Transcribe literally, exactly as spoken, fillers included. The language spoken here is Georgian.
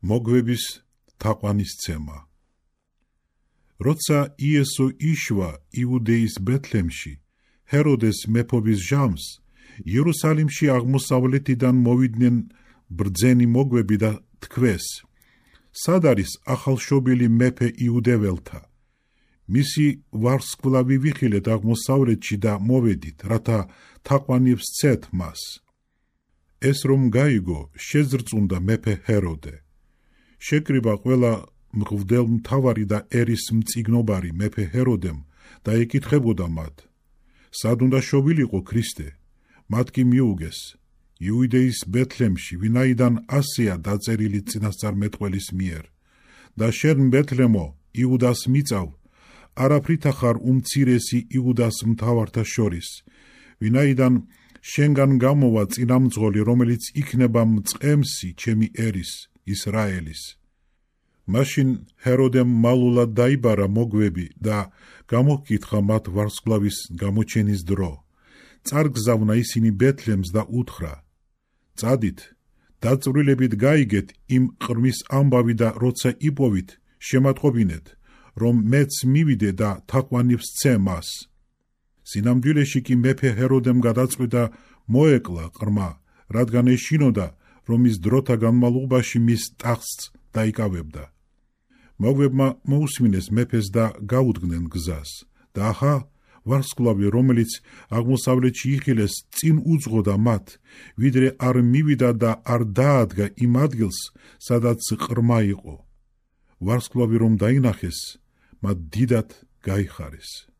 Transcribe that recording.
მოგვების თაყვანისცემა. როცა იესო იშვა იუდეის ბეთლემში, ჰეროდეს მეფობის ჟამს, იერუსალიმში აღმოსავლეთიდან მოვიდნენ ბრძენი მოგვები და თქვეს: სად არის ახალშობილი მეფე იუდეველთა? მისი ვარსკვლავი ვიხილეთ აღმოსავლეთში და მოვედით, რათა თაყვანებს ცეთ მას. ეს რომ გაიგო, შეზრწუნდა მეფე ჰეროდე. შეკრიბა ყველა მღვდელმთავარი და ერის მწიგნობარი მეფე ჰეროდემ და ეკითხებოდა მათ: სად უნდა შობილიყო ქრისტე? მათ კი მიუგეს: იუდეის ბეთლემში, ვინაიდან ასეა დაწერილი წინასწარმეტყველის მიერ. და შენ ბეთლემო, იუდას მიწავ, არაფრით ახარ უმცირესი იუდას მთავართა შორის, ვინაიდან შენგან გამოვა წინამძღოლი, რომელიც იქნება მწყემსი ჩემი ერის, ისრაელის. მაშინ ჰეროდემ მალულად დაიბარა მოგვები და გამოჰკითხა მათ ვარსკვლავის გამოჩენის დრო. წარგზავნა ისინი ბეთლემს და უთხრა: წადით, დაწვრილებით გაიგეთ იმ ყრმის ამბავი და როცა იპოვით, შემატყობინეთ, რომ მეც მივიდე და თაყვანებს ცე მას. სინამდვილეში კი მეფე ჰეროდემ გადაწყვიტა მოეკლა ყრმა, რადგან ეშინოდა, რომ ის დროთა განმავლობაში მის ტახტს დაიკავებდა. მოგვებმა მოусმინეს მეფეს და გაუდგნენ გზას. და ახა ვარსკვლავი, რომელიც აღმოსავლეთში იხილეს, წინ უძღოდა მათ, ვიდრე არ მივიდა და არ დაადგა იმ ადგილს, სადაც ყრმა იყო. ვარსკვლავი რომ დაინახეს, მათ დიდად გაიხარეს.